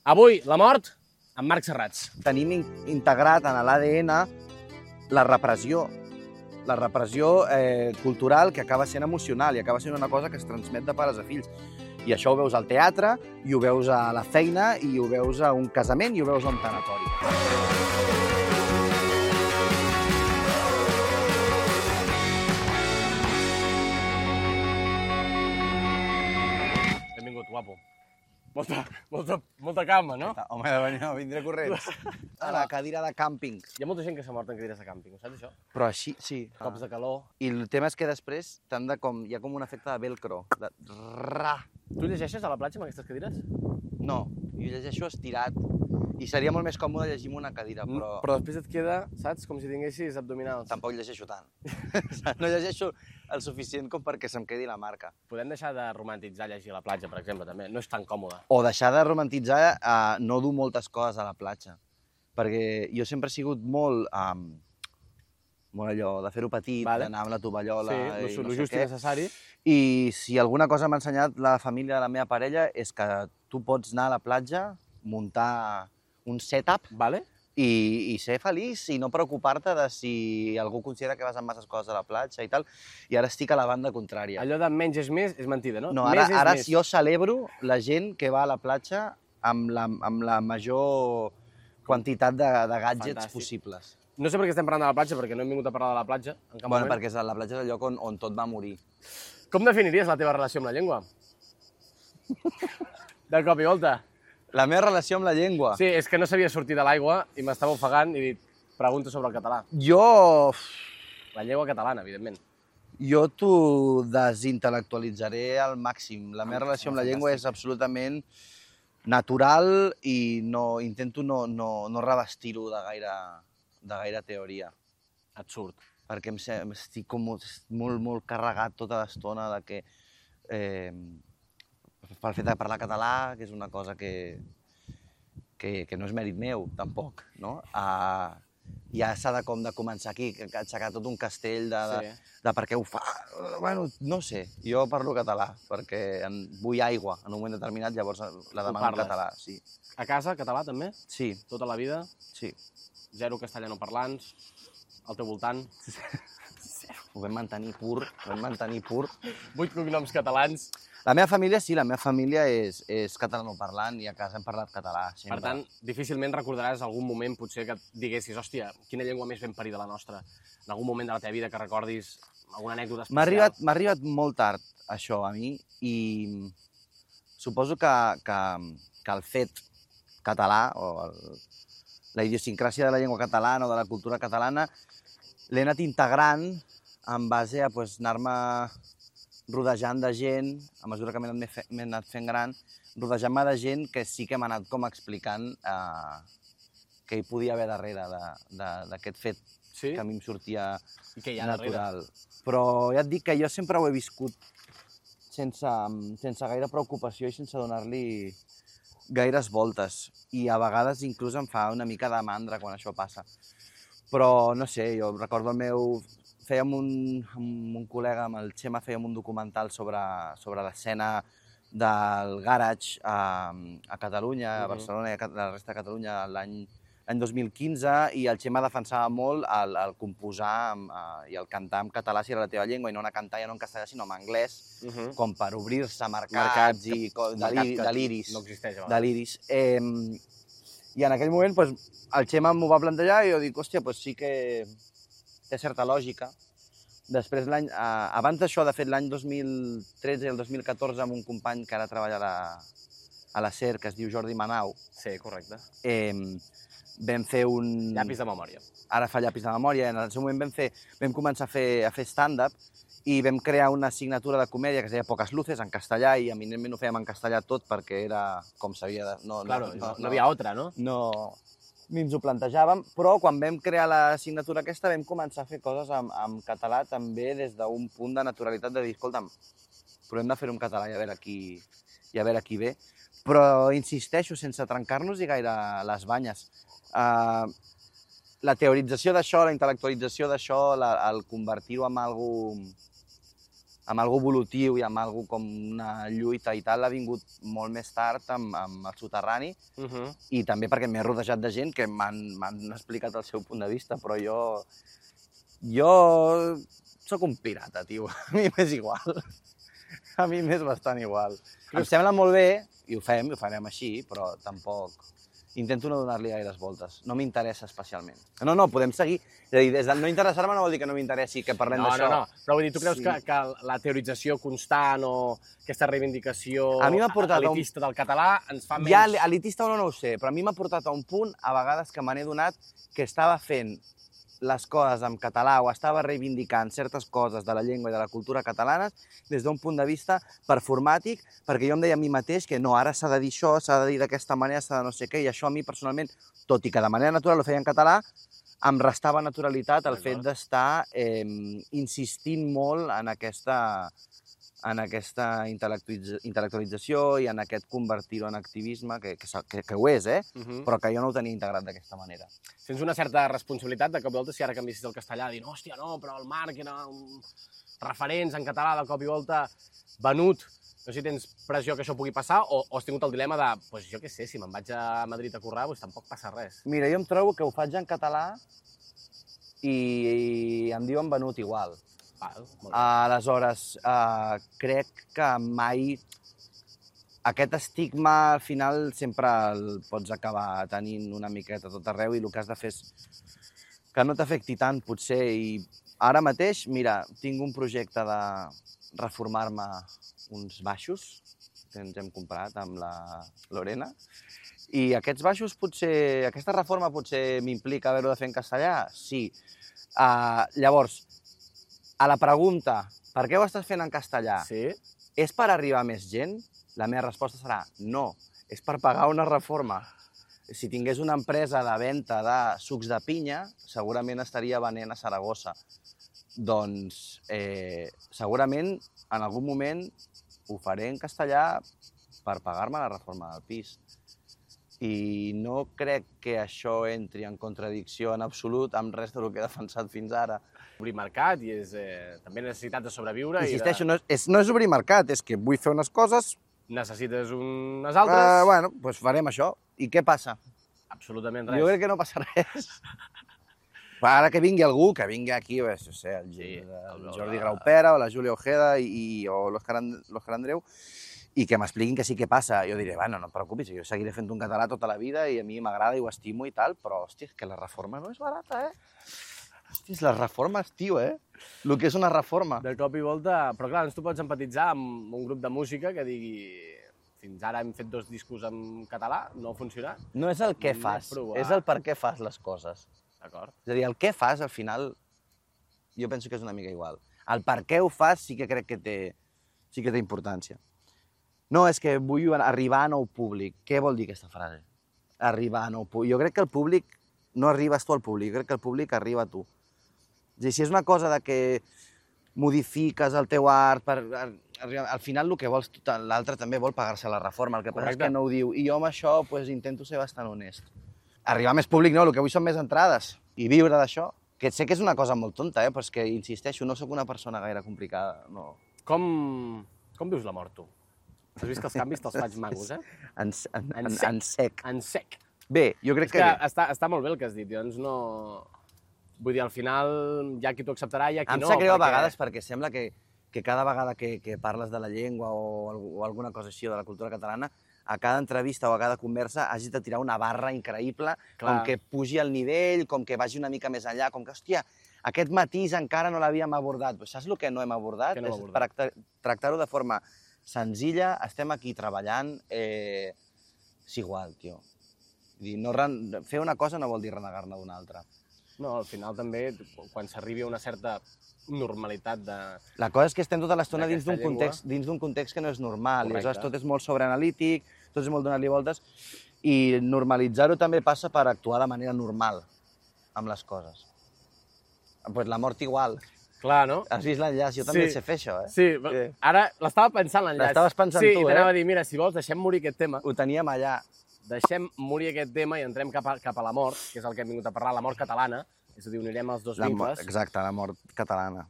Avui, la mort amb Marc Serrats. Tenim integrat en l'ADN la repressió cultural que acaba sent emocional i acaba sent una cosa que es transmet de pares a fills. I això ho veus al teatre, i ho veus a la feina, i ho veus a un casament, i ho veus a un tanatori. Benvingut, guapo. Molta calma, no? Home, no, vindré corrents. A la cadira de càmping. Hi ha molta gent que s'ha mort en cadires de càmping, ho saps, això? Però així, sí. Cops de calor. I el tema és que després hi ha com un efecte de velcro. De... Tu llegeixes a la platja amb aquestes cadires? No, jo llegeixo estirat. I seria molt més còmode llegir amb una cadira, però... Però després et queda, saps, com si tinguessis abdominals. Tampoc llegeixo tant. No llegeixo el suficient com perquè se'm quedi la marca. Podem deixar de romantitzar llegir a la platja, per exemple, també. No és tan còmode. O deixar de romantitzar no dur moltes coses a la platja. Perquè jo sempre he sigut molt allò de fer-ho petit, d'anar amb la tovallola i no sé què. Necessari. I si alguna cosa m'ha ensenyat la família de la meva parella és que tu pots anar a la platja, muntar un setup i ser feliç i no preocupar-te de si algú considera que vas amb masses coses a la platja i tal. I ara estic a la banda contrària. Allò de menys és més és mentida, no? No, ara jo celebro la gent que va a la platja amb la major quantitat de gadgets possibles. No sé per què estem parlant de la platja, perquè no hem vingut a parlar de la platja en cap moment. Perquè la platja és el lloc on tot va morir. Com definiries la teva relació amb la llengua? De cop i volta. La meva relació amb la llengua? Sí, és que no sabia sortir de l'aigua i m'estava ofegant i he dit, pregunto sobre el català. La llengua catalana, evidentment. Jo t'ho desintel·lectualitzaré al màxim. La meva relació amb la llengua és absolutament natural i intento no revestir-ho de gaire teoria. Et surt. Perquè estic com molt carregat tota l'estona de que pel fet de parlar català, que és una cosa que no és mèrit meu, tampoc, no? Ja s'ha de començar aquí, aixecar tot un castell de per què ho fa. Bueno, no sé, jo parlo català, perquè vull aigua en un moment determinat, llavors la demano en català, sí. A casa, català també? Sí. Tota la vida? Sí. Zero castellano parlants? Al teu voltant? Ho vam mantenir pur. 8 cognoms catalans. La meva família, sí, la meva família és catalanoparlant i a casa hem parlat català. Per tant, difícilment recordaràs algun moment potser que et diguessis, hòstia, quina llengua més ben parida la nostra? En algun moment de la teva vida que recordis alguna anècdota especial? M'ha arribat molt tard, això, a mi, i suposo que el fet català, o la idiosincràsia de la llengua catalana o de la cultura catalana, l'he anat integrant en base a anar-me rodejant de gent, a mesura que m'he anat fent gran, rodejant-me de gent que sí que m'ha anat com explicant què hi podia haver darrere d'aquest fet que a mi em sortia natural. Però ja et dic que jo sempre ho he viscut sense gaire preocupació i sense donar-li gaires voltes. I a vegades inclús em fa una mica de mandra quan això passa. Però no sé, jo recordo fèiem amb un col·lega, amb el Xema, fèiem un documental sobre l'escena del garage a Catalunya, a Barcelona i a la resta de Catalunya l'any 2015, i el Xema defensava molt el composar i el cantar en català si era la teva llengua, i no anar a cantar ja no en castellà sinó en anglès, com per obrir-se mercats i deliris. No existeix, a deliris. I en aquell moment el Xema m'ho va plantejar i jo dic, hòstia, sí que té certa lògica. Després, abans d'això, de fet, l'any 2013 i el 2014, amb un company que ara treballa a la SER, que es diu Jordi Manau. Sí, correcte. Vam fer un... Llapis de memòria. Ara fa llapis de memòria. En el seu moment vam començar a fer stand-up i vam crear una assignatura de comèdia que es deia Poques Luces, en castellà, i eminentment ho fèiem en castellà tot perquè era com s'havia de... No havia altra, no? No, ni ens ho plantejàvem, però quan vam crear l'assignatura aquesta vam començar a fer coses en català també des d'un punt de naturalitat de dir, escolta'm, provem de fer-ho en català i a veure qui ve. Però insisteixo, sense trencar-nos-hi gaire les banyes. La teorització d'això, la intel·lectualització d'això, el convertir-ho en algo amb algo evolutiu i amb algo com una lluita i tal, ha vingut molt més tard amb el soterrani, i també perquè m'he rodejat de gent que m'han explicat el seu punt de vista, però jo sóc un pirata, tio. A mi m'és igual. A mi m'és bastant igual. Em sembla molt bé, i ho fem, i ho farem així, però tampoc... Intento no donar-li gaires voltes. No m'interessa especialment. No, podem seguir. És a dir, des de no interessar-me no vol dir que no m'interessi que parlem d'això. No. Però vull dir, tu creus que la teorització constant o aquesta reivindicació elitista del català ens fa menys... Ja, elitista o no ho sé, però a mi m'ha portat a un punt, a vegades, que me n'he donat que estava fent les coses en català o estava reivindicant certes coses de la llengua i de la cultura catalanes des d'un punt de vista performàtic, perquè jo em deia a mi mateix que no, ara s'ha de dir això, s'ha de dir d'aquesta manera, s'ha de no sé què, i això a mi personalment, tot i que de manera natural ho feia en català, em restava naturalitat el fet d'estar insistint molt en aquesta intel·lectualització i en aquest convertir-ho en activisme, que ho és, però que jo no ho tenia integrat d'aquesta manera. Sents una certa responsabilitat de cop i volta si ara canviessis el castellà, dir, hòstia, no, però el Marc era un referents en català de cop i volta venut. No sé si tens pressió que això pugui passar o has tingut el dilema de, doncs jo què sé, si me'n vaig a Madrid a currar, doncs tampoc passa res. Mira, jo em trobo que ho faig en català i em diuen venut igual. Aleshores, crec que mai aquest estigma al final sempre el pots acabar tenint una miqueta tot arreu i el que has de fer és que no t'afecti tant, potser. I ara mateix, mira, tinc un projecte de reformar-me uns baixos que ens hem comprat amb la Lorena i aquests baixos potser, aquesta reforma potser m'implica haver-ho de fer en castellà? Sí. Llavors, a la pregunta, per què ho estàs fent en castellà? Sí. És per arribar a més gent? La meva resposta serà no, és per pagar una reforma. Si tingués una empresa de venda de sucs de pinya, segurament estaria venent a Saragossa. Doncs segurament en algun moment ho faré en castellà per pagar-me la reforma del pis. I no crec que això entri en contradicció en absolut amb res del que he defensat fins ara. Obrir mercat i és també necessitat de sobreviure. Insisteixo, no és obrir mercat, és que vull fer unes coses... Necessites unes altres... Bueno, doncs farem això. I què passa? Absolutament res. Jo crec que no passa res. Ara que vingui algú, que vingui aquí, no sé, el Jordi Graupera o la Júlia Ojeda o l'Òscar Andreu, i que m'expliquin que sí que passa. Jo diré, bueno, no et preocupis, jo seguiré fent un català tota la vida i a mi m'agrada i ho estimo i tal, però, hòstia, és que la reforma no és barata, Hòstia, les reformes, tio, El que és una reforma. De cop i volta... Però clar, tu pots empatitzar amb un grup de música que digui fins ara hem fet 2 discos en català, no ha funcionat. No és el què fas, és el per què fas les coses. D'acord. És a dir, el què fas, al final, jo penso que és una mica igual. El per què ho fas sí que crec que té importància. No, és que vull arribar a nou públic. Què vol dir aquesta frase? Arribar a nou públic. Jo crec que el públic no arribes tu al públic, jo crec que el públic arriba a tu. És a dir, si és una cosa de que modifiques el teu art, al final el que vols, l'altre també vol pagar-se la reforma, el que passa és que no ho diu. I jo amb això intento ser bastant honest. Arribar a més públic no, el que vull són més entrades i viure d'això. Que sé que és una cosa molt tonta, però és que, insisteixo, no sóc una persona gaire complicada. No. Com vius la mort, tu? Has vist que els canvis te'ls faig magos, En sec. En sec. Bé, jo crec que bé. Està molt bé el que has dit, llavors no... Vull dir, al final hi ha qui t'ho acceptarà i hi ha qui no. Em sap greu a vegades perquè sembla que cada vegada que parles de la llengua o alguna cosa així de la cultura catalana, a cada entrevista o a cada conversa hagis de tirar una barra increïble, com que pugi el nivell, com que vagi una mica més enllà, com que, hòstia, aquest matís encara no l'havíem abordat. Saps el que no hem abordat? És tractar-ho de forma senzilla, estem aquí treballant, és igual, tio. Fer una cosa no vol dir renegar-ne d'una altra. No, al final també, quan s'arribi a una certa normalitat de... La cosa és que estem tota l'estona dins d'un context que no és normal, i aleshores tot és molt sobreanalític, tot és molt donar-li voltes, i normalitzar-ho també passa per actuar de manera normal amb les coses. Doncs la mort igual. Clar, no? Has vist l'enllaç? Jo també sé fer això, Sí, ara l'estava pensant l'enllaç. L'estaves pensant tu, Sí, i t'anava a dir, mira, si vols, deixem morir aquest tema. Ho teníem allà. Deixem morir aquest tema i entrem cap a la mort, que és el que hem vingut a parlar, la mort catalana, és a dir, unirem els dos vincles. Exacte, la mort catalana.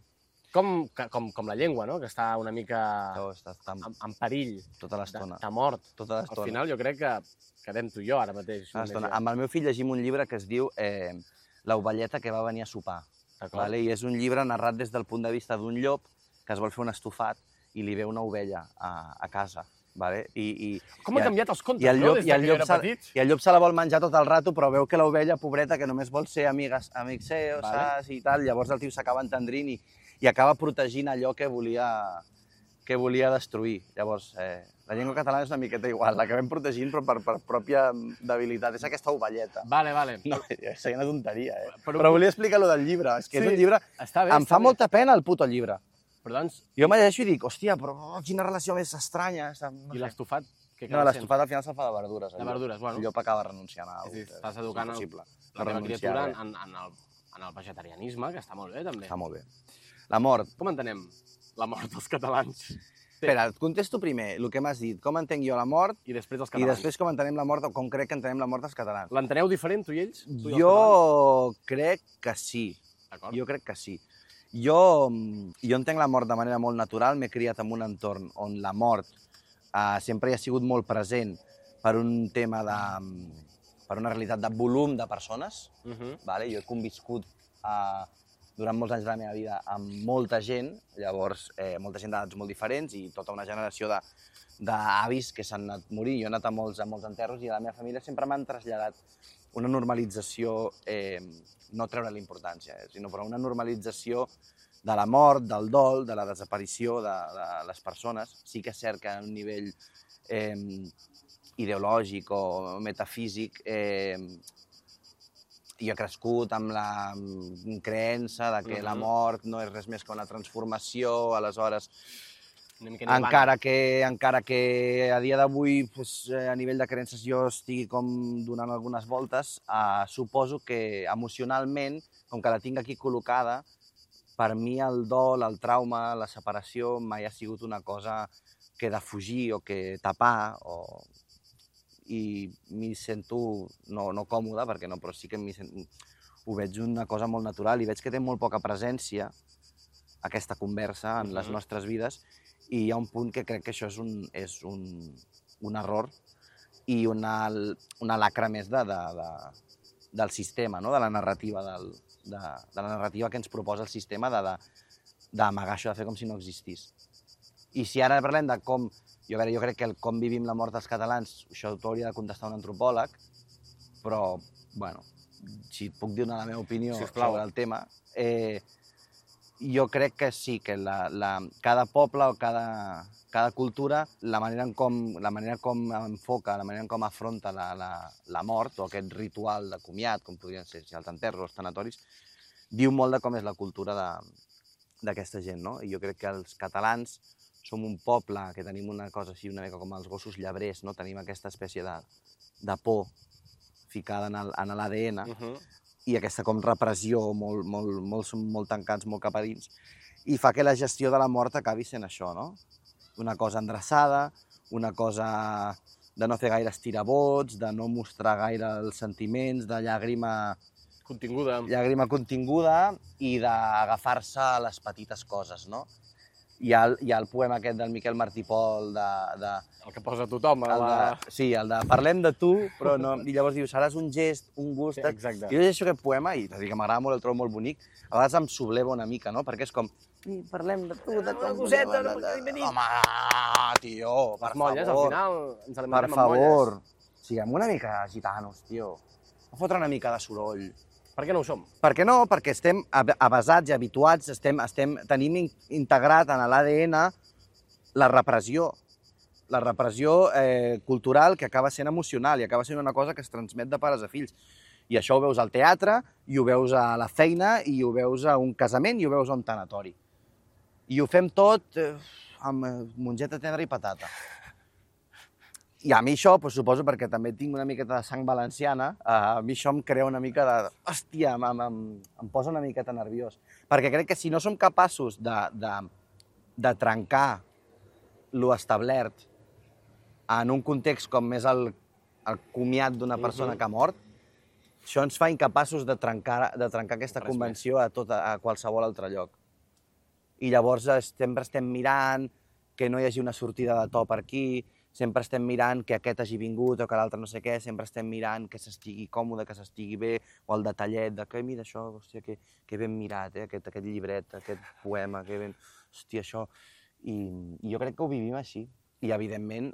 com la llengua, no? Que està una mica Està en perill tota l'estona. de mort. Tota Al l'estona. final jo crec que quedem tu i jo ara mateix. Amb el meu fill llegim un llibre que es diu L'ovelleta que va venir a sopar. Vale? I és un llibre narrat des del punt de vista d'un llop que es vol fer un estofat i li ve una ovella a casa. Vale? Com han canviat els contes, i el llop, no? Des que jo era petit. I el llop se la vol menjar tot el rato, però veu que l'ovella, pobreta, que només vol ser amic seu, saps, i tal, llavors el tio s'acaba entendrint i acaba protegint allò que volia destruir. Llavors, la llengua catalana és una miqueta igual, l'acabem protegint però per pròpia debilitat. És aquesta ovelleta. Vale. No, seria una tonteria, Però volia explicar lo del llibre. És que és un llibre... Em fa molta pena el puto llibre. Però doncs... Jo me llegeixo i dic, hòstia, però quina relació més estranya. I l'estofat? No, l'estofat al final se'l fa de verdures. De verdures, bueno. El llop acaba renunciant a... Estàs educant la teva criatura en el vegetarianisme, que està molt bé, també. Està molt bé. La mort. Com entenem la mort dels catalans? Espera, et contesto primer el que m'has dit. Com entenc jo la mort i després els i catalans. després com entenem la mort o com crec que entenem la mort dels catalans. L'enteneu diferent, tu i ells? Jo crec que sí. Jo crec que sí. Jo entenc la mort de manera molt natural, m'he criat en un entorn on la mort sempre hi ha sigut molt present per un tema per una realitat de volum de persones. Vale? Jo he conviscut durant molts anys de la meva vida amb molta gent, llavors molta gent d'edats molt diferents i tota una generació d'avis que s'han anat morint. Jo he anat a molts enterros i a la meva família sempre m'han traslladat una normalització, no treure la importància, sinó però una normalització de la mort, del dol, de la desaparició de les persones. Sí que és cert que a un nivell ideològic o metafísic jo he crescut amb la creença de que la mort no és res més que una transformació, aleshores encara que a dia d'avui a nivell de creences jo estigui com donant algunes voltes, suposo que emocionalment, com que la tinc aquí col·locada, per mi el dol, el trauma, la separació mai ha sigut una cosa que defugir o que tapar i m'hi sento no còmode, perquè no, però sí que ho veig una cosa molt natural i veig que té molt poca presència aquesta conversa en les nostres vides i hi ha un punt que crec que això és un error i una lacra més del sistema, no? De la narrativa que ens proposa el sistema d'amagar això, de fer com si no existís. I si ara parlem de com, jo crec que com vivim la mort dels catalans, això t'ho hauria de contestar un antropòleg, però, bueno, si et puc dir la meva opinió sobre el tema, jo crec que sí, que cada poble o cada cultura, la manera com enfoca, la manera com afronta la mort o aquest ritual de comiat, com podrien ser els enterros o els tanatoris, diu molt de com és la cultura d'aquesta gent, no? I jo crec que els catalans som un poble que tenim una cosa així una mica com els gossos llebrers, no? Tenim aquesta espècie de por ficada en l'ADN i aquesta com repressió, molt tancats, molt cap a dins, i fa que la gestió de la mort acabi sent això, no? Una cosa endreçada, una cosa de no fer gaire estirabots, de no mostrar gaire els sentiments, de llàgrima continguda i d'agafar-se a les petites coses, no? Hi ha el poema aquest del Miquel Martí Pol el que posa tothom. Sí, el de parlem de tu, però no... I llavors diu, seràs un gest, un gust... Exacte. Jo llegeixo aquest poema i t'ho dic que m'agrada molt, el trobo molt bonic, a vegades em subleva una mica, no? Perquè és com, parlem de tu, de com... Home, tio, per favor. Al final ens alimentem amb molles. Per favor, siguem una mica gitanos, tio. A fotre una mica de soroll. Per què no ho som? Per què no? Perquè estem avasats i habituats, tenim integrat en l'ADN la repressió cultural que acaba sent emocional i acaba sent una cosa que es transmet de pares a fills. I això ho veus al teatre, i ho veus a la feina, i ho veus a un casament, i ho veus a un tanatori. I ho fem tot amb mongeta tendra i patata. I a mi això, suposo, perquè també tinc una miqueta de sang valenciana, a mi això em crea una mica de... Hòstia, em posa una miqueta nerviós. Perquè crec que si no som capaços de trencar lo establert en un context com és el comiat d'una persona que ha mort, això ens fa incapaços de trencar aquesta convenció a qualsevol altre lloc. i llavors sempre estem mirant que no hi hagi una sortida de to per aquí, sempre estem mirant que aquest hagi vingut o que l'altre no sé què, sempre estem mirant que s'estigui còmode, que s'estigui bé, o el detallet de que, mira això, hòstia, que ben mirat, aquest llibret, aquest poema, que ben... Hòstia, això... I jo crec que ho vivim així. I, evidentment,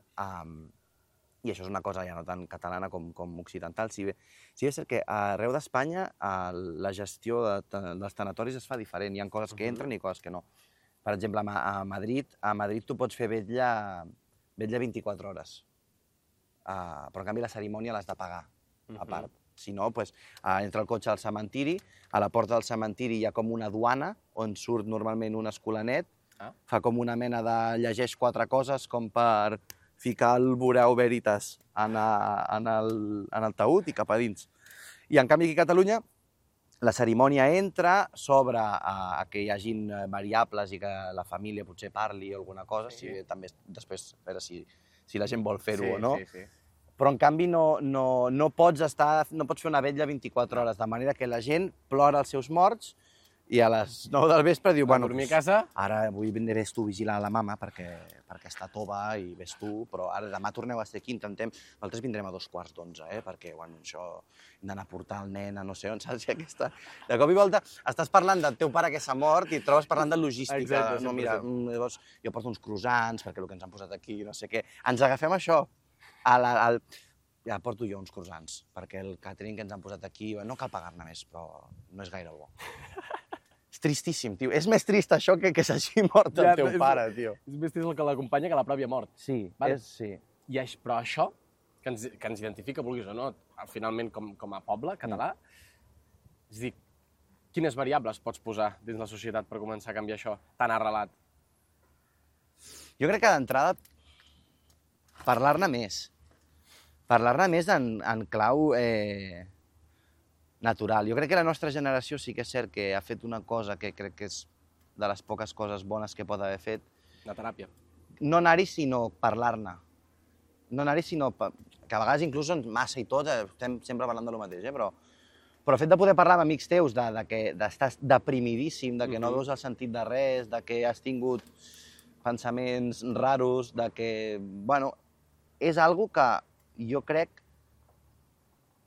i això és una cosa ja no tan catalana com occidental, si bé és cert que arreu d'Espanya la gestió dels tanatoris es fa diferent. Hi ha coses que entren i coses que no. Per exemple, a Madrid tu pots fer vetlla 24 hores, però en canvi la cerimònia l'has de pagar, a part. Si no, entra el cotxe al cementiri, a la porta del cementiri hi ha com una duana on surt normalment un escolanet, fa com una mena de llegeix 4 coses com per ficar el Bureu Veritas en el taüt i cap a dins. I en canvi aquí a Catalunya la cerimònia entra, s'obre a que hi hagin variables i que la família potser parli o alguna cosa, també després a veure si la gent vol fer-ho o no. Però en canvi no pots fer una vetlla 24 hores, de manera que la gent plora els seus morts i a les 9 del vespre diu, bueno, dormir a casa? Ara avui vés tu a vigilar la mama perquè està tova i ves tu, però ara demà torneu a ser aquí, intentem... Nosaltres vindrem a 2:45, perquè, bueno, això hem d'anar a portar el nen a no sé on, saps? De cop i volta estàs parlant del teu pare que s'ha mort i et trobes parlant de logística. Exacte, no, mira, llavors jo porto uns croissants perquè el que ens han posat aquí, no sé què. Ens agafem això. Ja porto jo uns croissants, perquè el catering que ens han posat aquí, no cal pagar-ne més, però no és gaire bo. És tristíssim, tio. És més trist això que s'hagi mort el teu pare, tio. És més trist el que l'acompanya que la pròpia mort. Sí, sí. Però això, que ens identifica, vulguis o no, finalment com a poble català, és a dir, quines variables pots posar dins la societat per començar a canviar això tan arrelat? Jo crec que d'entrada parlar-ne més. Parlar-ne més en clau natural. Jo crec que la nostra generació sí que és cert que ha fet una cosa que crec que és de les poques coses bones que pot haver fet. La teràpia. No anar-hi, sinó parlar-ne. No anar-hi, sinó... Que a vegades inclús massa i tot, estem sempre parlant de lo mateix, però el fet de poder parlar amb amics teus d'estar deprimidíssim, de que no veus el sentit de res, de que has tingut pensaments raros, de que... Bueno, és algo que jo crec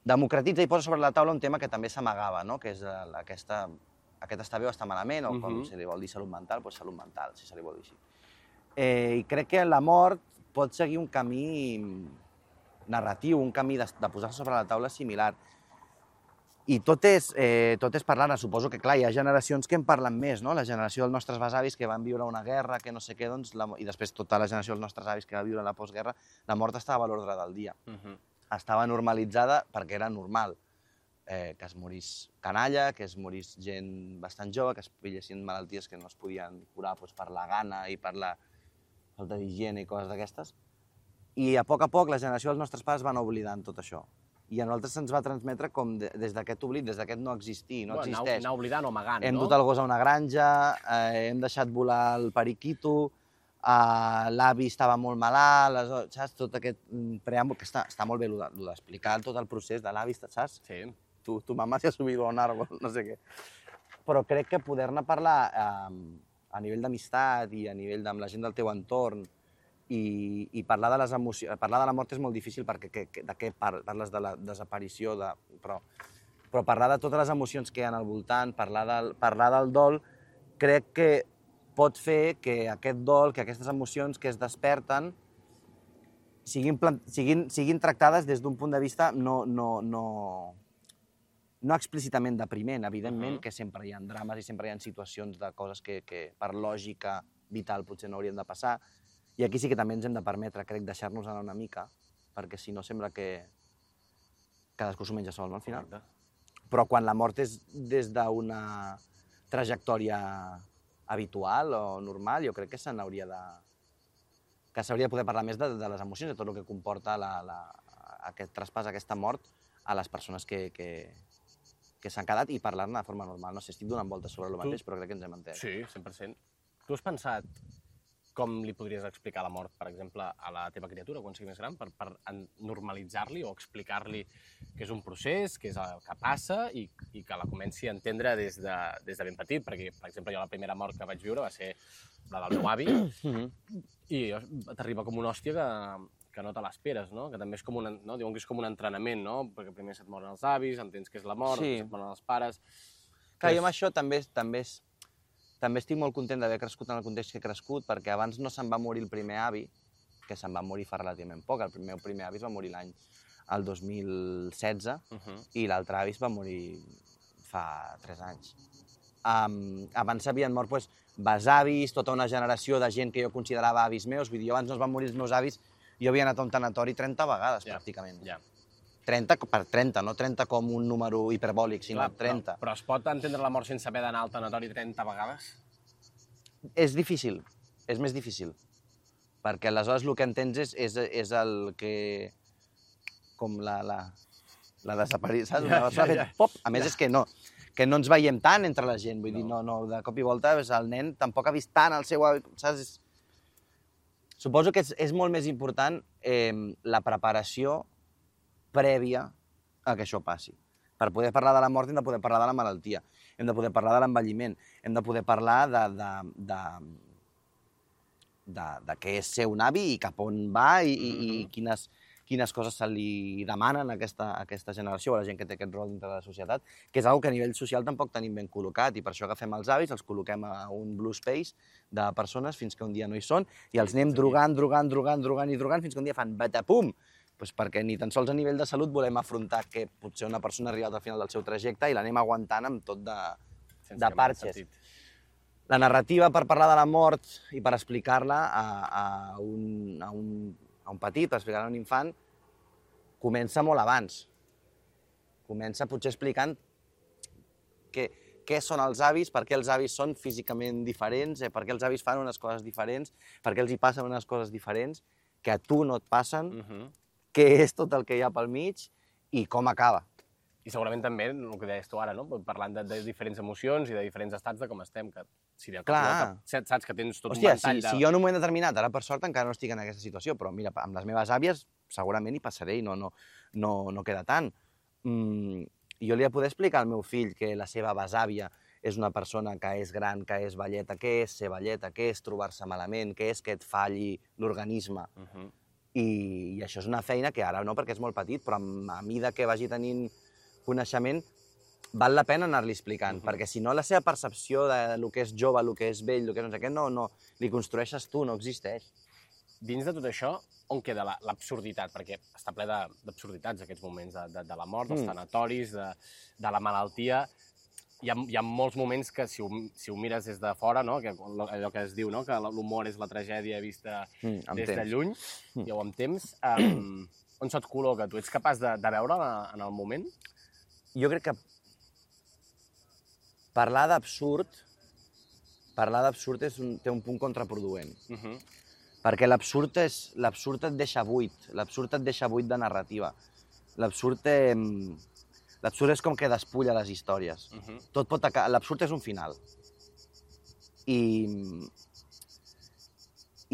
democratitza i posa sobre la taula un tema que també s'amagava, no? Que és aquest està bé o està malament, o com se li vol dir salut mental, doncs salut mental, si se li vol dir així. I crec que la mort pot seguir un camí narratiu, un camí de posar-se sobre la taula similar. I tot és parlar-ne. Suposo que, clar, hi ha generacions que en parlen més, no? La generació dels nostres besavis que van viure una guerra, que no sé què, i després tota la generació dels nostres avis que va viure la postguerra, la mort estava a l'ordre del dia. Estava normalitzada perquè era normal que es morís canalla, que es morís gent bastant jove, que es pillessin malalties que no es podien curar per la gana i per la falta d'higiene i coses d'aquestes. I a poc la generació dels nostres pares van oblidant tot això. I a nosaltres se'ns va transmetre com des d'aquest oblit, des d'aquest no existir, no existeix. Anar oblidant o amagant, no? Hem dut el gos a una granja, hem deixat volar el periquito, l'avi estava molt malalt, saps? Tot aquest preàmbul, que està molt bé d'explicar tot el procés de l'avi, saps? Sí. Tu mamá se ha subido a un árbol, no sé què. Però crec que poder-ne parlar a nivell d'amistat i a nivell amb la gent del teu entorn i parlar de les emocions... Parlar de la mort és molt difícil perquè de què parles de la desaparició, però parlar de totes les emocions que hi ha al voltant, parlar del dol, crec que pot fer que aquest dol, que aquestes emocions que es desperten siguin tractades des d'un punt de vista no explícitament depriment, evidentment que sempre hi ha drames i sempre hi ha situacions de coses que per lògica vital potser no haurien de passar. I aquí sí que també ens hem de permetre, crec, deixar-nos anar una mica, perquè si no sembla que cadascú s'ho menja sol, no, al final? Però quan la mort és des d'una trajectòria habitual o normal, jo crec que s'hauria de poder parlar més de les emocions, de tot el que comporta aquest traspàs, aquesta mort, a les persones que s'han quedat i parlar-ne de forma normal. No sé, estic donant voltes sobre el mateix, però crec que ens hem entès. Sí, 100%. Tu has pensat com li podries explicar la mort, per exemple, a la teva criatura quan sigui més gran, per normalitzar-li o explicar-li que és un procés, que és el que passa i que la comenci a entendre des de ben petit, perquè, per exemple, jo la primera mort que vaig viure va ser la del meu avi i t'arriba com una hòstia que no te l'esperes, no? Que també és com no? Diuen que és com un entrenament, no? Perquè primer se't moren els avis, entens què és la mort, se't moren els pares... Clar, jo amb això també estic molt content d'haver crescut en el context que he crescut, perquè abans no se'n va morir el primer avi, que se'n va morir fa relativament poc. El meu primer avi es va morir el 2016 i l'altre avi es va morir fa 3 anys. Abans s'havien mort besavis, tota una generació de gent que jo considerava avis meus. Vull dir, abans no es van morir els meus avis, jo havia anat a un tanatori 30 vegades, pràcticament. 30 per 30, no 30 com un número hiperbòlic, sinó 30. Però es pot entendre la mort sense haver d'anar al tanatori 30 vegades? És difícil, és més difícil. Perquè aleshores el que entens és el que... com la desaparició, saps? Una persona ha fet pop. A més, és que no ens veiem tant entre la gent. Vull dir, no, de cop i volta el nen tampoc ha vist tant el seu... Saps? Suposo que és molt més important la preparació prèvia a que això passi. Per poder parlar de la mort hem de poder parlar de la malaltia, hem de poder parlar de l'envelliment, hem de poder parlar de què és ser un avi i cap on va i quines coses se li demanen a aquesta generació, a la gent que té aquest rol dintre de la societat, que és una que a nivell social tampoc tenim ben col·locat, i per això agafem els avis, els col·loquem a un blue space de persones fins que un dia no hi són, i els anem drogant fins que un dia fan batapum, perquè ni tan sols a nivell de salut volem afrontar que potser una persona ha arribat al final del seu trajecte i l'anem aguantant amb tot de parxes. La narrativa per parlar de la mort i per explicar-la a un petit, per explicar-la a un infant, comença molt abans. Comença potser explicant què són els avis, per què els avis són físicament diferents, per què els avis fan unes coses diferents, per què els hi passen unes coses diferents que a tu no et passen, què és tot el que hi ha pel mig i com acaba. I segurament també, el que deies tu ara, no? Parlant de diferents emocions i de diferents estats de com estem, que si de cop saps que tens tot un ventall de... Si jo en un moment determinat, ara per sort encara no estic en aquesta situació, però mira, amb les meves àvies segurament hi passaré i no queda tant. Jo li he de poder explicar al meu fill que la seva besàvia és una persona que és gran, que és velleta, què és ser velleta, què és trobar-se malament, què és que et falli l'organisme. I això és una feina que ara no, perquè és molt petit, però a mida que vagi tenint coneixement, val la pena anar-li explicant, perquè si no la seva percepció del que és jove, el que és vell, el que és no sé què, no li construeixes tu, no existeix. Dins de tot això, on queda l'absurditat? Perquè està ple d'absurditats aquests moments de la mort, dels tanatoris, de la malaltia. Hi ha molts moments que, si ho mires des de fora, no? Allò que es diu, no? Que l'humor és la tragèdia vista des de lluny, ja ho amb temps. On se't col·loca? Tu ets capaç de veure en el moment? Jo crec que parlar d'absurd té un punt contraproduent. Perquè l'absurd et deixa buit, l'absurd et deixa buit de narrativa. L'absurd és com que despulla les històries. L'absurd és un final. I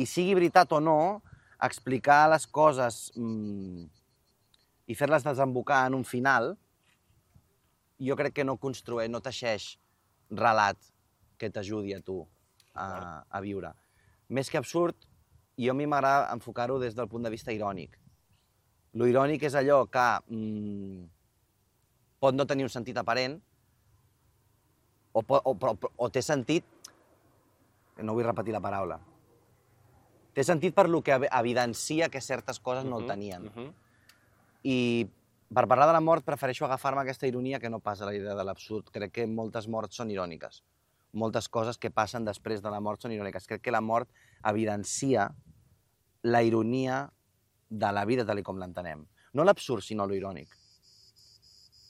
sigui veritat o no, explicar les coses i fer-les desembocar en un final, jo crec que no teixeix relat que t'ajudi a tu a viure. Més que absurd, a mi m'agrada enfocar-ho des del punt de vista irònic. Lo irònic és allò que pot no tenir un sentit aparent, o té sentit, no vull repetir la paraula, té sentit per lo que evidencia que certes coses no el tenien. I per parlar de la mort prefereixo agafar-me aquesta ironia que no pas a la idea de l'absurd. Crec que moltes morts són iròniques. Moltes coses que passen després de la mort són iròniques. Crec que la mort evidencia la ironia de la vida tal com l'entenem. No l'absurd, sinó lo irònic.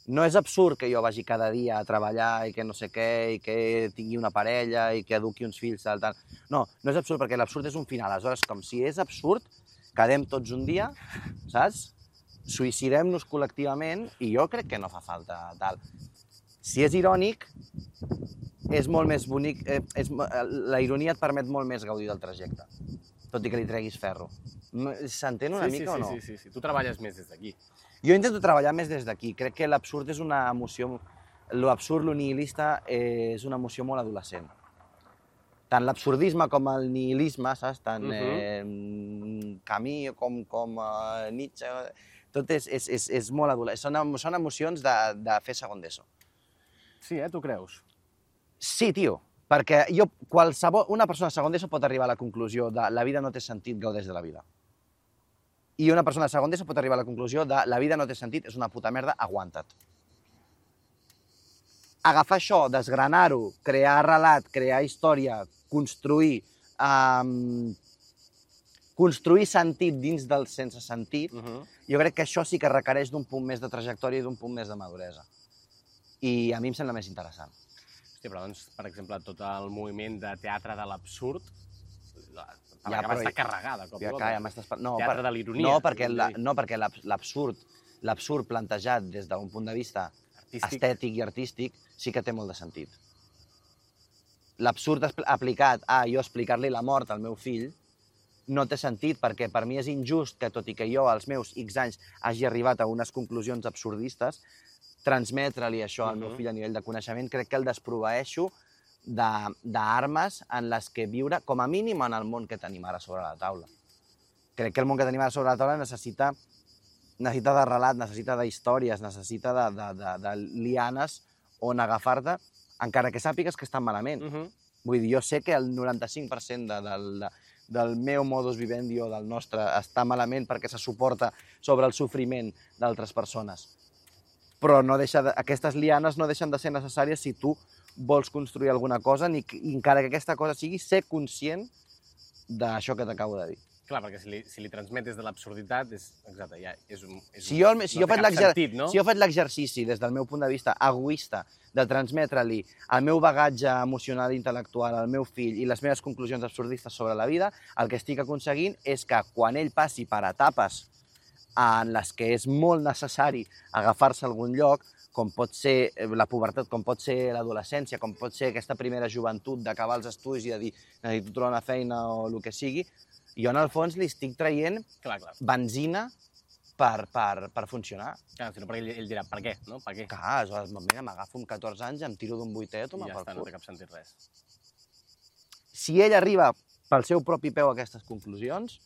No és absurd que jo vagi cada dia a treballar i que no sé què, i que tingui una parella i que eduqui uns fills, tal. No és absurd, perquè l'absurd és un final. Aleshores, com si és absurd, quedem tots un dia, saps? Suïcidem-nos col·lectivament i jo crec que no fa falta tal. Si és irònic, és molt més bonic, la ironia et permet molt més gaudir del trajecte, tot i que li treguis ferro. S'entén una mica o no? Sí. Tu treballes més des d'aquí. Jo intento treballar més des d'aquí. Crec que l'absurd és una emoció... L'absurd, lo nihilista, és una emoció molt adolescent. Tant l'absurdisme com el nihilisme, saps? Tant Camus com Nietzsche... Tot és molt adolescent. Són emocions de fer segon d'ESO. Sí, tu creus? Sí, tio. Perquè una persona segon d'ESO pot arribar a la conclusió de la vida no té sentit, gaudeix de la vida. I una persona segon d'ESO pot arribar a la conclusió de la vida no té sentit, és una puta merda, aguanta't. Agafar això, desgranar-ho, crear relat, crear història, construir sentit dins del sense sentit, jo crec que això sí que requereix d'un punt més de trajectòria i d'un punt més de maduresa. I a mi em sembla més interessant. Hòstia, però doncs, per exemple, tot el moviment de teatre de l'absurd Ja, va estar carregada, cop i volta. Ja m'estàs... Teatre de l'ironia. No, perquè l'absurd plantejat des d'un punt de vista estètic i artístic sí que té molt de sentit. L'absurd aplicat a jo explicar-li la mort al meu fill no té sentit, perquè per mi és injust que, tot i que jo als meus X anys hagi arribat a unes conclusions absurdistes, transmetre-li això al meu fill a nivell de coneixement, crec que el desproveeixo d'armes en les que viure, com a mínim en el món que tenim ara sobre la taula. Crec que el món que tenim ara sobre la taula necessita de relat, necessita d'històries, necessita de lianes on agafar-te, encara que sàpigues que estan malament. Vull dir, jo sé que el 95% del meu modus vivendi o del nostre està malament perquè se suporta sobre el sofriment d'altres persones. Però aquestes lianes no deixen de ser necessàries si tu vols construir alguna cosa, encara que aquesta cosa sigui ser conscient d'això que t'acabo de dir. Clar, perquè si li transmetes de l'absurditat, exacte, ja és un... Si jo faig l'exercici des del meu punt de vista egoista de transmetre-li el meu bagatge emocional i intel·lectual al meu fill i les meves conclusions absurdistes sobre la vida, el que estic aconseguint és que quan ell passi per etapes en les que és molt necessari agafar-se a algun lloc, com pot ser la pubertat, com pot ser l'adolescència, com pot ser aquesta primera joventut d'acabar els estudis i de dir necessito trobar una feina o el que sigui, jo en el fons li estic traient benzina per funcionar. Clar, si no, perquè ell dirà, per què? No? Per què? Clar, aleshores, mira, m'agafo amb 14 anys, em tiro d'un vuitè, toma pel cul. I ja està, no té cap sentit res. Si ell arriba pel seu propi peu a aquestes conclusions,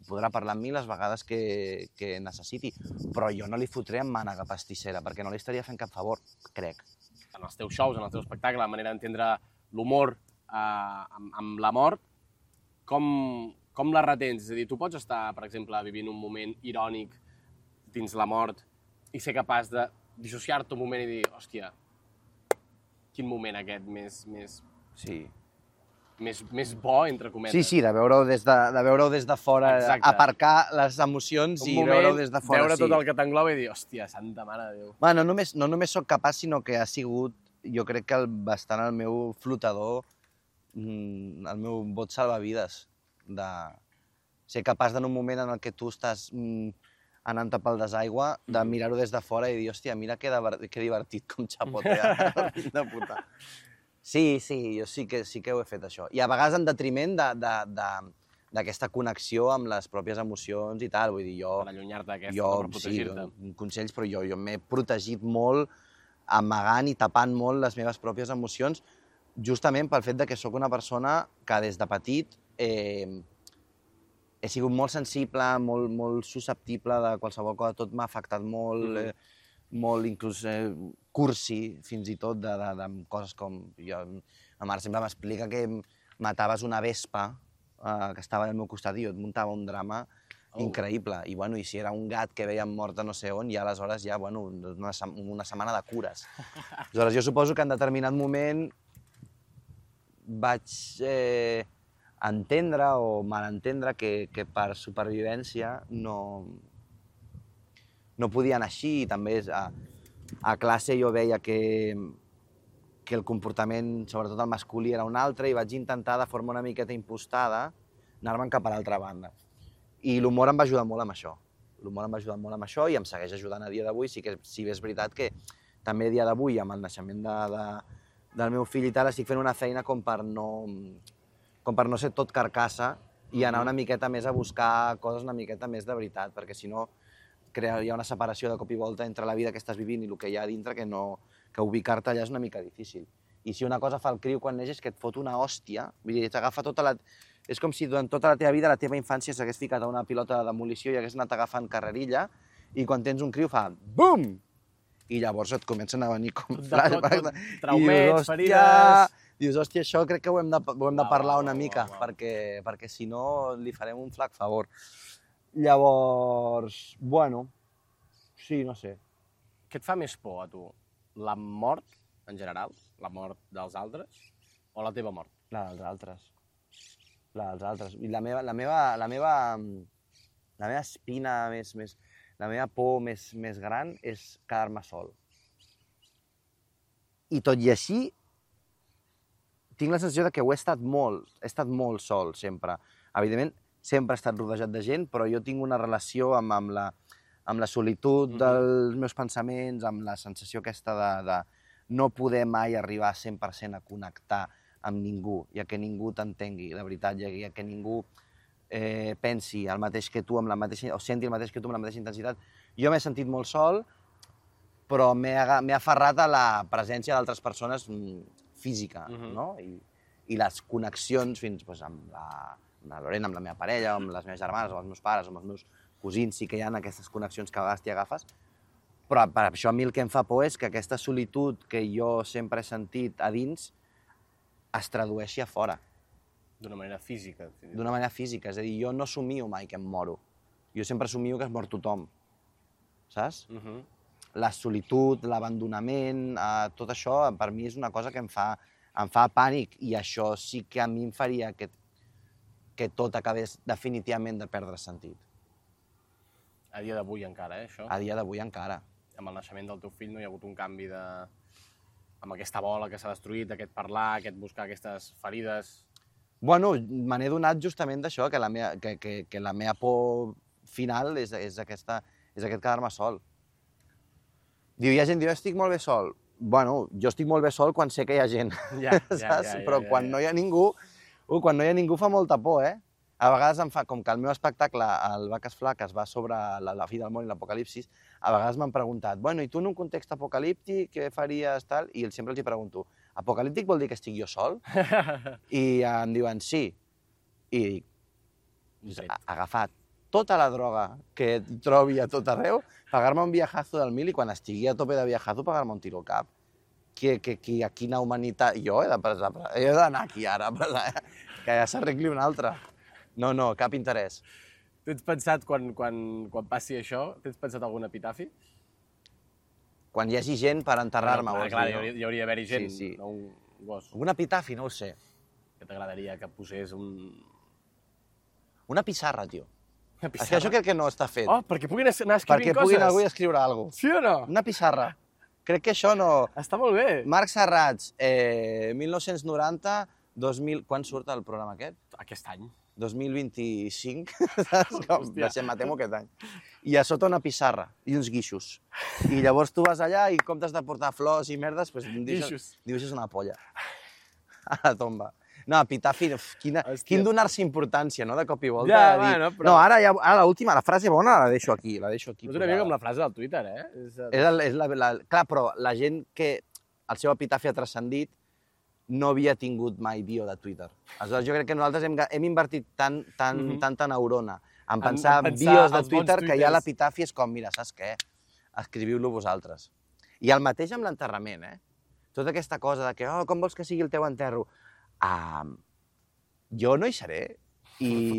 podrà parlar amb mi les vegades que necessiti, però jo no li fotré amb mànega pastissera, perquè no li estaria fent cap favor, crec. En els teus shows, en el teu espectacle, la manera d'entendre l'humor amb la mort, com la retens? És a dir, tu pots estar, per exemple, vivint un moment irònic dins la mort i ser capaç de dissociar-te un moment i dir, hòstia, quin moment aquest més bo, entre cometes. Sí, de veure-ho des de fora, aparcar les emocions i veure-ho des de fora. Veure tot el que t'engloba i dir, hòstia, santa mare de Déu. Bueno, no només sóc capaç, sinó que ha sigut, jo crec que bastant el meu flotador, el meu bot salvavides, de ser capaç en un moment en el que tu estàs anant-te pel desaigua, de mirar-ho des de fora i dir, hòstia, mira que divertit com xapotea, de puta. Sí, jo sí que ho he fet, això. I a vegades en detriment d'aquesta connexió amb les pròpies emocions i tal. Vull dir, per allunyar-te d'aquesta, per protegir-te. Sí, consells, però jo m'he protegit molt, amagant i tapant molt les meves pròpies emocions, justament pel fet que sóc una persona que des de petit he sigut molt sensible, molt susceptible de qualsevol cosa, tot m'ha afectat molt, molt inclús cursi, fins i tot, de coses com... Ma mare sempre m'explica que mataves una vespa que estava al meu costat i jo et muntava un drama increïble. I si era un gat que veiem mort a no sé on, ja aleshores una setmana de cures. Aleshores, jo suposo que en determinat moment vaig entendre o malentendre que per supervivència no podia anar així. I també a classe jo veia que el comportament, sobretot el masculí, era un altre i vaig intentar, de forma una miqueta impostada, anar-me'n cap a l'altra banda. I l'humor em va ajudar molt amb això. L'humor em va ajudar molt amb això i em segueix ajudant a dia d'avui. Sí que és veritat que també a dia d'avui, amb el naixement del meu fill i tal, estic fent una feina com per no ser tot carcassa i anar una miqueta més a buscar coses una miqueta més de veritat, perquè si no hi ha una separació de cop i volta entre la vida que estàs vivint i el que hi ha a dintre que ubicar-te allà és una mica difícil. I si una cosa fa el criu quan neix és que et fot una hòstia, vull dir, t'agafa tota la... És com si durant tota la teva vida, la teva infància s'hagués ficat a una pilota de demolició i hagués anat agafant carrerilla i quan tens un criu fa BUM! I llavors et comencen a venir com flashbacks. Traumets, ferides... Dius, hòstia, això crec que ho hem de parlar una mica, perquè si no li farem un flac favor. Llavors, bueno, sí, no sé. Què et fa més por a tu? La mort, en general? La mort dels altres? O la teva mort? La dels altres. La dels altres. I la meva espina la meva por més gran és quedar-me sol. I tot i així, tinc la sensació que he estat molt sol sempre. Evidentment, sempre he estat rodejat de gent, però jo tinc una relació amb la solitud dels meus pensaments, amb la sensació aquesta de no poder mai arribar 100% a connectar amb ningú, i a que ningú t'entengui, de veritat, i a que ningú pensi el mateix que tu, o senti el mateix que tu amb la mateixa intensitat. Jo m'he sentit molt sol, però m'he aferrat a la presència d'altres persones física, no? I les connexions fins amb la Lorena, amb la meva parella, amb les meves germanes, amb els meus pares, amb els meus cosins, sí que hi ha aquestes connexions que a vegades t'hi agafes, però per això a mi el que em fa por és que aquesta solitud que jo sempre he sentit a dins es tradueixi a fora. D'una manera física. D'una manera física, és a dir, jo no somio mai que em moro. Jo sempre somio que es mor tothom, saps? La solitud, l'abandonament, tot això per mi és una cosa que em fa pànic, i això sí que a mi em faria que tot acabés definitivament de perdre sentit. A dia d'avui encara, això? A dia d'avui encara. Amb el naixement del teu fill no hi ha hagut un canvi amb aquesta bola que s'ha destruït, aquest parlar, aquest buscar aquestes ferides... Bueno, me n'he donat justament d'això, que la meva por final és aquest quedar-me sol. Hi ha gent que diu, estic molt bé sol. Bueno, jo estic molt bé sol quan sé que hi ha gent, saps? Però quan no hi ha ningú, fa molta por, eh? A vegades em fa, com que el meu espectacle, el Vaques Flaques, va sobre la fi del món i l'apocalipsis, a vegades m'han preguntat, bueno, i tu en un context apocalíptic, què faries, tal? I sempre els hi pregunto, apocalíptic vol dir que estic jo sol? I em diuen, sí. I dic, agafar tota la droga que trobi a tot arreu, pagar-me un viajazo del 1000 i quan estigui a tope de viajazo pagar-me un tiro al cap. A quina humanitat... Jo he d'anar aquí ara, que ja s'arregli un altre. No, cap interès. Tens pensat, quan passi això, tens pensat algun epitafi? Quan hi hagi gent per enterrar-me, vols dir, no? Hi hauria d'haver-hi gent, sí. no un gos. Un epitafi, no ho sé. Que t'agradaria que posés un... Una pissarra, tio. Una pissarra? És que això crec que no està fet. Oh, perquè puguin anar escrivint coses. Perquè puguin algú escriure alguna cosa. Sí o no? Una pissarra. Crec que això no... Està molt bé. Marc Serrats, 1990, 2000... Quan surt el programa aquest? Aquest any. 2025, saps? Me temo aquest any. I a sota una pissarra i uns guixos. I llavors tu vas allà i en comptes de portar flors i merdes, dibuixes una polla a la tomba. No, epitafi, quin donar-se importància, no?, de cop i volta. Ja, bueno, però... No, ara l'última, la frase bona la deixo aquí. És una mica com la frase del Twitter, eh? Clar, però la gent que el seu epitafi ha transcendit no havia tingut mai bio de Twitter. Aleshores, jo crec que nosaltres hem invertit tanta neurona en pensar bios de Twitter que ja l'epitafi és com, mira, saps què? Escriviu-lo vosaltres. I el mateix amb l'enterrament, eh? Tota aquesta cosa de que, com vols que sigui el teu enterro? Jo no hi seré. I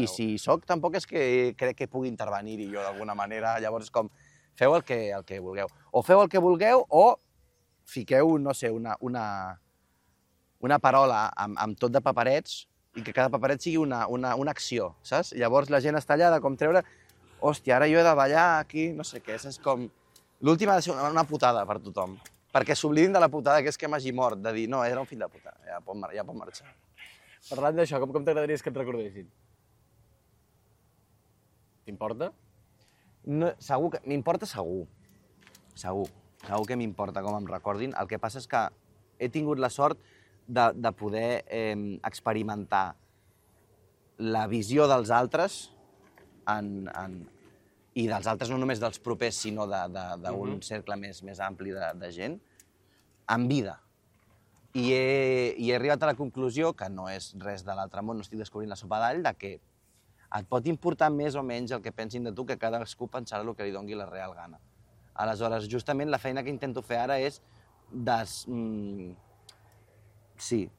si hi soc, tampoc és que crec que pugui intervenir-hi jo d'alguna manera. Llavors, com, feu el que vulgueu. O feu el que vulgueu o fiqueu, no sé, una parola amb tot de paperets i que cada paperet sigui una acció, saps? Llavors la gent està allà com treure, hòstia, ara jo he de ballar aquí, no sé què, és com... L'última ha de ser una putada per tothom, perquè s'oblidin de la putada que és que m'hagi mort, de dir, no, era un fill de puta, ja pot marxar. Parlant d'això, com t'agradaries que et recordessin? T'importa? Segur que... M'importa segur. Segur que m'importa com em recordin. El que passa és que he tingut la sort de poder experimentar la visió dels altres i dels altres no només dels propers, sinó d'un cercle més ampli de gent, en vida. I he arribat a la conclusió, que no és res de l'altre món, no estic descobrint la sopa d'all, que et pot importar més o menys el que pensin de tu, que cadascú pensarà el que li doni la real gana. Aleshores, justament la feina que intento fer ara és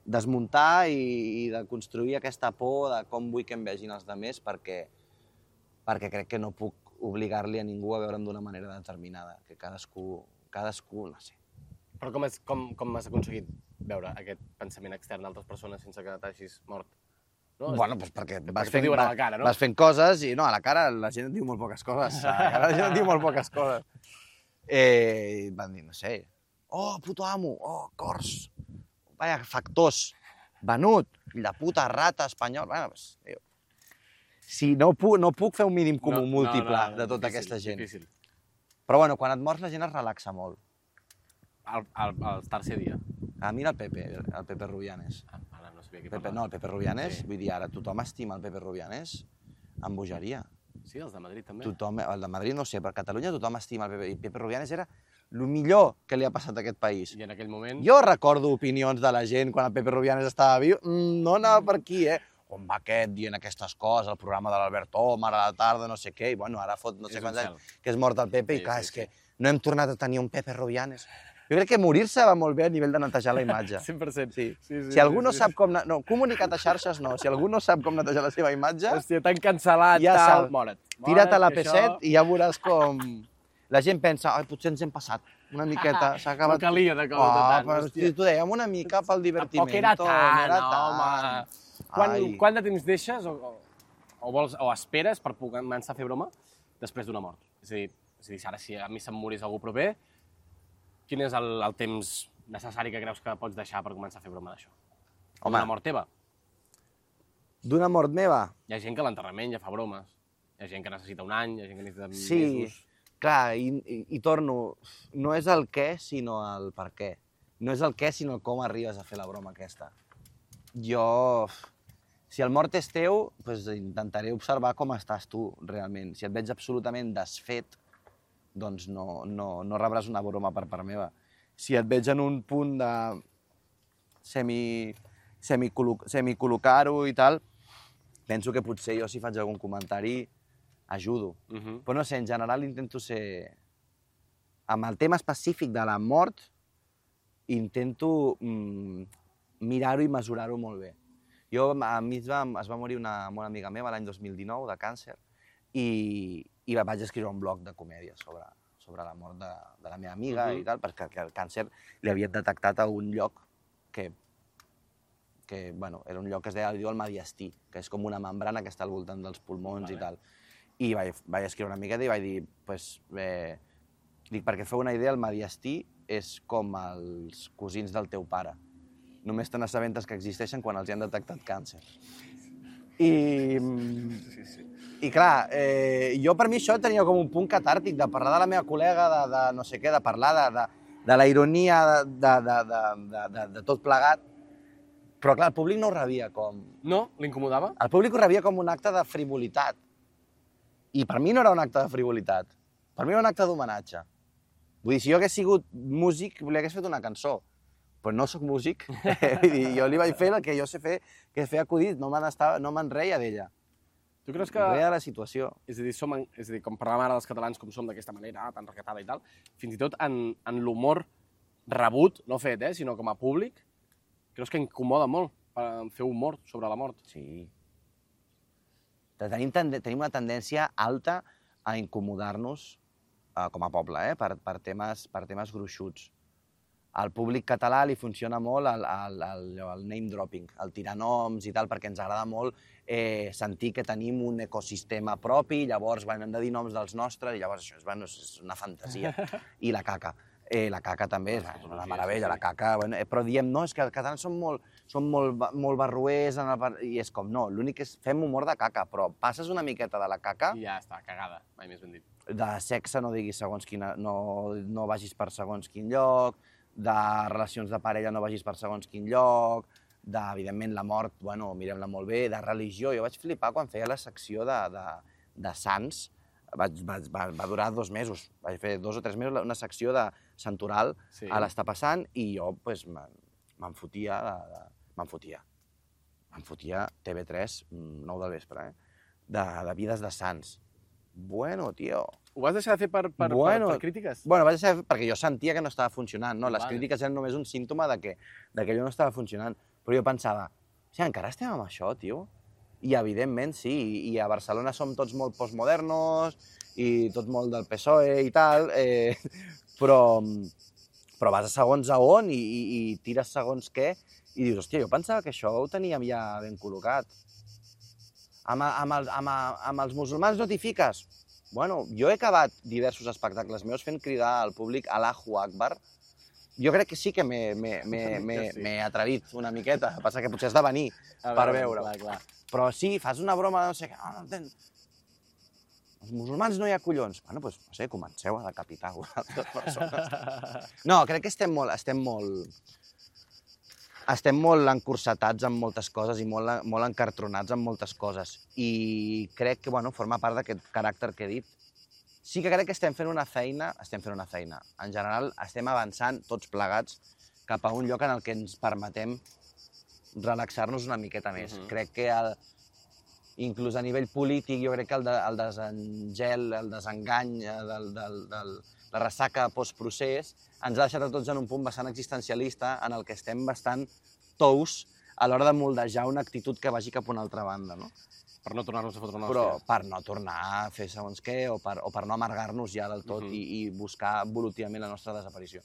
desmuntar i de construir aquesta por de com vull que em vegin els altres, perquè crec que no puc obligar-li a ningú a veure'm d'una manera determinada, que cadascú, no sé. Però com has aconseguit veure aquest pensament extern d'altres persones sense que t'hagis mort? No? Bueno, doncs perquè vas fent coses i no, a la cara la gent et diu molt poques coses. A la cara la gent et diu molt poques coses. Van dir, no sé, oh, puto amo, oh, cors, vaya, factors, venut, fill de puta, rata, espanyol... Bueno, pues, si no puc fer un mínim comú múltiple de tota aquesta gent. Difícil. Però bueno, quan et mors la gent es relaxa molt. El tercer dia. Mira el Pepe Rubianes. No sabia què parlar. No, el Pepe Rubianes, vull dir, ara tothom estima el Pepe Rubianes amb bogeria. Sí, els de Madrid també. El de Madrid no sé, però a Catalunya tothom estima el Pepe. I Pepe Rubianes era el millor que li ha passat a aquest país. I en aquell moment... Jo recordo opinions de la gent quan el Pepe Rubianes estava viu, no anava per aquí, on va aquest dient aquestes coses, el programa de l'Albert Omar a la tarda, no sé què, i bueno, ara fot no sé quants anys que és mort el Pepe, i clar, és que no hem tornat a tenir un Pepe Rubianes. Jo crec que morir-se va molt bé a nivell de netejar la imatge. 100%. Sí. Si algú no sap com... No, comunicat a xarxes no. Si algú no sap com netejar la seva imatge... Hòstia, t'han cancel·lat, ja tal, more't. Tira't a la P7 i ja veuràs com... La gent pensa, potser ens hem passat una miqueta, s'ha acabat... No calia de cosa tant. Però si t'ho dèiem una mica pel divertiment. Tampoc era tant, home. Quant de temps deixes o esperes per començar a fer broma després d'una mort? És a dir, ara si a mi se'm morís algú proper, quin és el temps necessari que creus que pots deixar per començar a fer broma d'això? D'una mort teva? D'una mort meva? Hi ha gent que a l'enterrament ja fa bromes. Hi ha gent que necessita un any, hi ha gent que necessita mesos. Sí, clar, i torno, no és el què, sinó el per què. No és el què, sinó com arribes a fer la broma aquesta. Jo, si el mort és teu, doncs intentaré observar com estàs tu, realment. Si et veig absolutament desfet, doncs no rebràs una broma per part meva. Si et veig en un punt de semicol·locar-ho i tal, penso que potser jo si faig algun comentari ajudo. Però no sé, en general intento ser... Amb el tema específic de la mort, intento mirar-ho i mesurar-ho molt bé. A mi es va morir una bona amiga meva l'any 2019 de càncer i vaig escriure un blog de comèdia sobre la mort de la meva amiga i tal, perquè el càncer li havien detectat a un lloc que bueno, era un lloc que es deia el mediastí, que és com una membrana que està al voltant dels pulmons i tal. I vaig escriure una miqueta i vaig dir, perquè feu una idea, el mediastí és com els cosins del teu pare. Només te n'assabentes que existeixen quan els hi han detectat càncer. I clar, jo per mi això tenia com un punt catàrtic, de parlar de la meva col·lega, de no sé què, de parlar de la ironia, de tot plegat. Però clar, el públic no ho rebia com... No? L'incomodava? El públic ho rebia com un acte de frivolitat. I per mi no era un acte de frivolitat. Per mi era un acte d'homenatge. Vull dir, si jo hagués sigut músic, li hagués fet una cançó. Però no sóc músic. Jo li vaig fer el que jo sé fer, que és fer acudit, no me'n reia d'ella. Tu creus que... Reia de la situació. És a dir, com parlàvem ara dels catalans com som d'aquesta manera, tan recatada i tal, fins i tot en l'humor rebut, no fet, sinó com a públic, creus que incomoda molt fer humor sobre la mort? Sí. Tenim una tendència alta a incomodar-nos com a poble, per temes gruixuts. Al públic català li funciona molt el name dropping, el tirar noms i tal, perquè ens agrada molt sentir que tenim un ecosistema propi, llavors hem de dir noms dels nostres, i llavors això és una fantasia. I la caca. La caca també és una meravella, la caca... Però diem, no, és que els catalans són molt barruers, i és com, no, l'únic és fem humor de caca, però passes una miqueta de la caca... I ja està, cagada, mai més ben dit. De sexe no diguis segons quina... No vagis per segons quin lloc, de relacions de parella no vagis per segons quin lloc, evidentment, la mort, bueno, mirem-la molt bé, de religió. Jo vaig flipar quan feia la secció de sants. Va durar 2 mesos. Vaig fer 2 o 3 mesos una secció de santoral a l'Està passant i jo me'n fotia TV3, 9 del vespre, de vides de sants. Bueno, tio... Ho vas deixar de fer per crítiques? Bueno, vaig deixar de fer perquè jo sentia que no estava funcionant, no? Les crítiques eren només un símptoma de que allò no estava funcionant. Però jo pensava, encara estem amb això, tio? I evidentment sí, i a Barcelona som tots molt postmodernos i tot molt del PSOE i tal, però vas a segons a on i tires segons què i dius, hòstia, jo pensava que això ho teníem ja ben col·locat. Amb els musulmans no t'hi fiques? Bueno, jo he acabat diversos espectacles meus fent cridar al públic Allahu Akbar. Jo crec que sí que m'he atrevit una miqueta, passa que potser has de venir per veure-ho. Però sí, fas una broma de no sé què, els musulmans no hi ha collons. Bueno, doncs, no sé, comenceu a decapitar altres persones. No, crec que estem molt encursetats en moltes coses i molt encartronats en moltes coses. I crec que, bueno, forma part d'aquest caràcter que he dit. Sí que crec que estem fent una feina. En general, estem avançant tots plegats cap a un lloc en el que ens permetem relaxar-nos una miqueta més. Crec que, inclús a nivell polític, jo crec que el desengel, el desengany, la ressaca postprocés, ens ha deixat a tots en un punt bastant existencialista en el que estem bastant tous a l'hora de moldejar una actitud que vagi cap a una altra banda, no? Per no tornar-nos a fotre una hòstia. Però per no tornar a fer segons què o per no amargar-nos ja del tot i buscar evolutivament la nostra desaparició.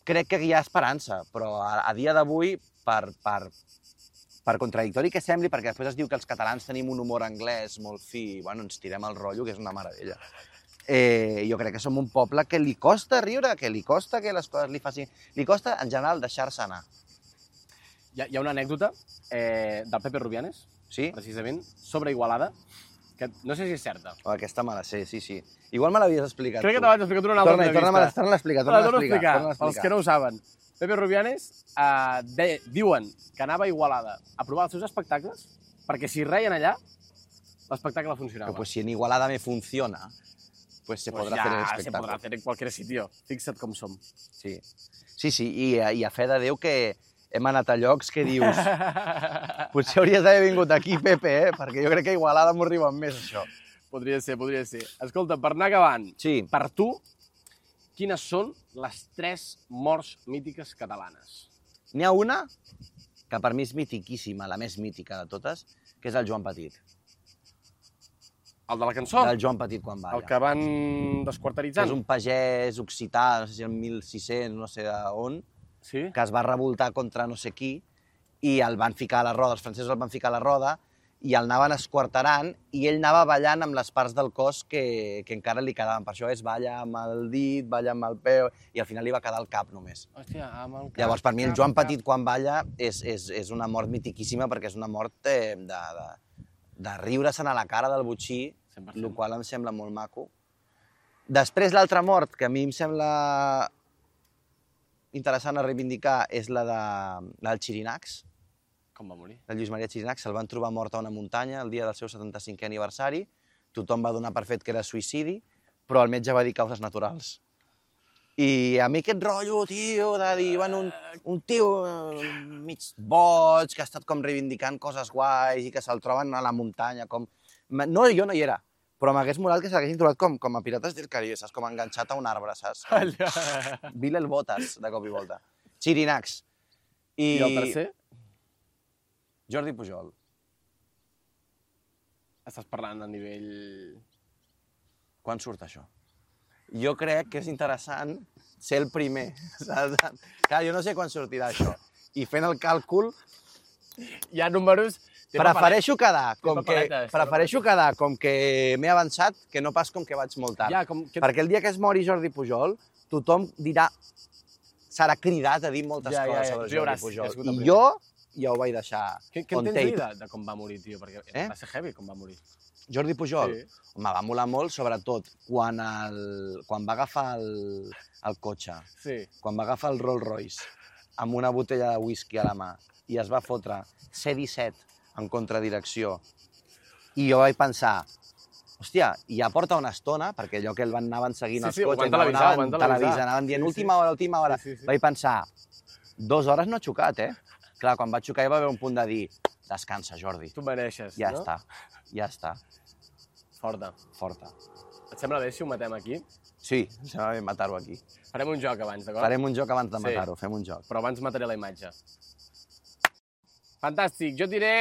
Crec que hi ha esperança, però a dia d'avui, per contradictori que sembli, perquè després es diu que els catalans tenim un humor anglès molt fi, bueno, ens tirem el rotllo, que és una meravella. Jo crec que som un poble que li costa riure, que li costa que les coses li facin... Li costa, en general, deixar-se anar. Hi ha una anècdota del Pepe Rubianes, precisament, sobre Igualada, que no sé si és certa. Aquesta me la sé, sí. Igual me l'havies explicat tu. Crec que te l'haig explicat una altra entrevista. Torna-la a explicar. Pels que no ho saben. Pepe Rubianes diuen que anava a Igualada a provar els seus espectacles perquè si reien allà, l'espectacle funcionava. Pues si en Igualada me funciona, pues se podrà fer el espectacle. Se podrà fer en qualsevol sitio. Fixa't com som. Sí, i a fe de Déu que hem anat a llocs que dius potser hauries d'haver vingut aquí, Pepe, perquè jo crec que a Igualada m'ho arriben més, això. Podria ser. Escolta, per anar acabant, per tu, quines són les 3 morts mítiques catalanes? N'hi ha una que per mi és mitiquíssima, la més mítica de totes, que és el Joan Petit. El de la cançó? Del Joan Petit quan balla. El que van desquarteritzant? Que és un pagès occità, no sé si en 1600, no sé on, que es va revoltar contra no sé qui i el van ficar a la roda, els francesos el van ficar a la roda i el anaven esquarterant i ell anava ballant amb les parts del cos que encara li quedaven. Per això balla amb el dit, balla amb el peu i al final li va quedar el cap només. Hòstia, amb el cap. Llavors, per mi el Joan Petit quan balla és una mort mitiquíssima perquè és una mort de riure-se'n a la cara del botxí, el qual em sembla molt maco. Després, l'altra mort, que a mi em sembla interessant a reivindicar, és la del Xirinacs. Com va morir? El Lluís Maria Xirinacs. Se'l van trobar mort a una muntanya el dia del seu 75è aniversari. Tothom va donar per fet que era suïcidi, però el metge va dir causes naturals. I a mi aquest rotllo, tio, de dir, bueno, un tio mig boig, que ha estat com reivindicant coses guais i que se'l troben a la muntanya, com... No, jo no hi era, però m'hagués molat que s'haguessin trobat com a Pirates del Caribe, saps? Com enganxat a un arbre, saps? Bilel Botas, de cop i volta. Xirinacs. I el tercer? Jordi Pujol. Estàs parlant a nivell... Quan surt això? Jo crec que és interessant ser el primer. Clar, jo no sé quan sortirà això. I fent el càlcul... Hi ha números... Prefereixo quedar com que m'he avançat que no pas com que vaig molt tard. Perquè el dia que es mori Jordi Pujol, tothom dirà... Serà cridat a dir moltes coses sobre Jordi Pujol. I jo ja ho vaig deixar on tape. Què en tens de com va morir, tio? Perquè va ser heavy com va morir. Jordi Pujol? Sí. Home, va molar molt, sobretot quan va agafar el cotxe, Sí. quan va agafar el Rolls Royce amb una botella de whisky a la mà i es va fotre C-17 en contradirecció. I jo vaig pensar, hòstia, ja porta una estona, perquè allò que anaven seguint els cotxes, anaven dient última hora. Vaig pensar, 2 hores no ha xocat, eh? Clar, quan va xocar hi va haver un punt de dir, descansa, Jordi. Tu mereixes, Ja no? ja està. Forta. Forta. Et sembla bé si ho matem aquí? Sí, em sembla bé matar-ho aquí. Farem un joc abans, d'acord? Farem un joc abans de Sí. matar-ho, fem un joc. Però abans mataré la imatge. Fantàstic. Jo et diré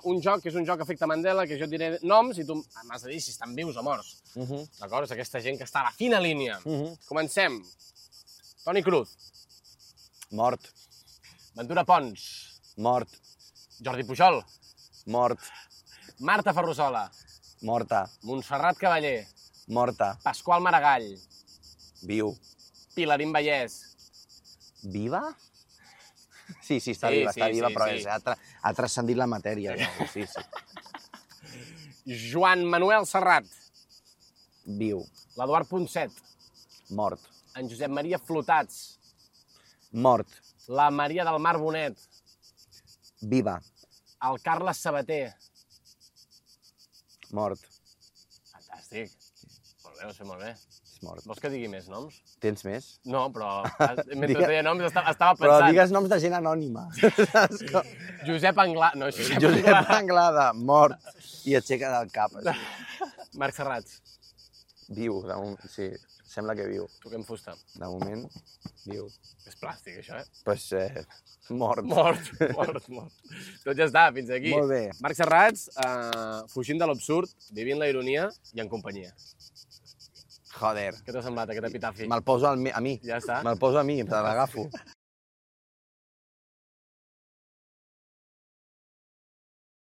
un joc, que és un joc efecte Mandela, que jo et diré noms i tu m'has de dir si estan vius o morts. D'acord? És aquesta gent que està a la fina línia. Comencem. Toni Cruz. Mort, Ventura Pons. mort, Jordi Pujol. mort, Marta Ferrusola. morta, Montserrat Cavaller. morta, Pasqual Maragall. viu. Pilarín Vallès. Viva? Sí, està Sí, viva, sí, està viva, sí, però sí. ha transcendit la matèria. Ja. Sí. Joan Manuel Serrat. Viu, L'Eduard Ponset. mort, En Josep Maria Flotats. mort, La Maria del Mar Bonet. viva, El Carles Sabater. mort, Fantàstic. Molt bé, ho sé molt bé. és mort. Vols que digui més noms? Tens més? No, però mentre deia noms estava Però pensant. digues noms de gent anònima. Josep Anglada. No, Josep Josep Anglada. Anglada, mort, i aixeca del cap. Així. Marc Serrats. Viu, de moment, sí, sembla que viu. Toquem fusta. De moment, viu. És plàstic, això, eh? Pues, mort. Mort. Tot ja està, fins aquí. Molt bé. Marc Serrats, fugint de l'absurd, vivint la ironia i en companyia. Joder, Què t'ha semblat, aquest epitafi? me'l poso a mi. Ja està. Me'l poso a mi, te l'agafo.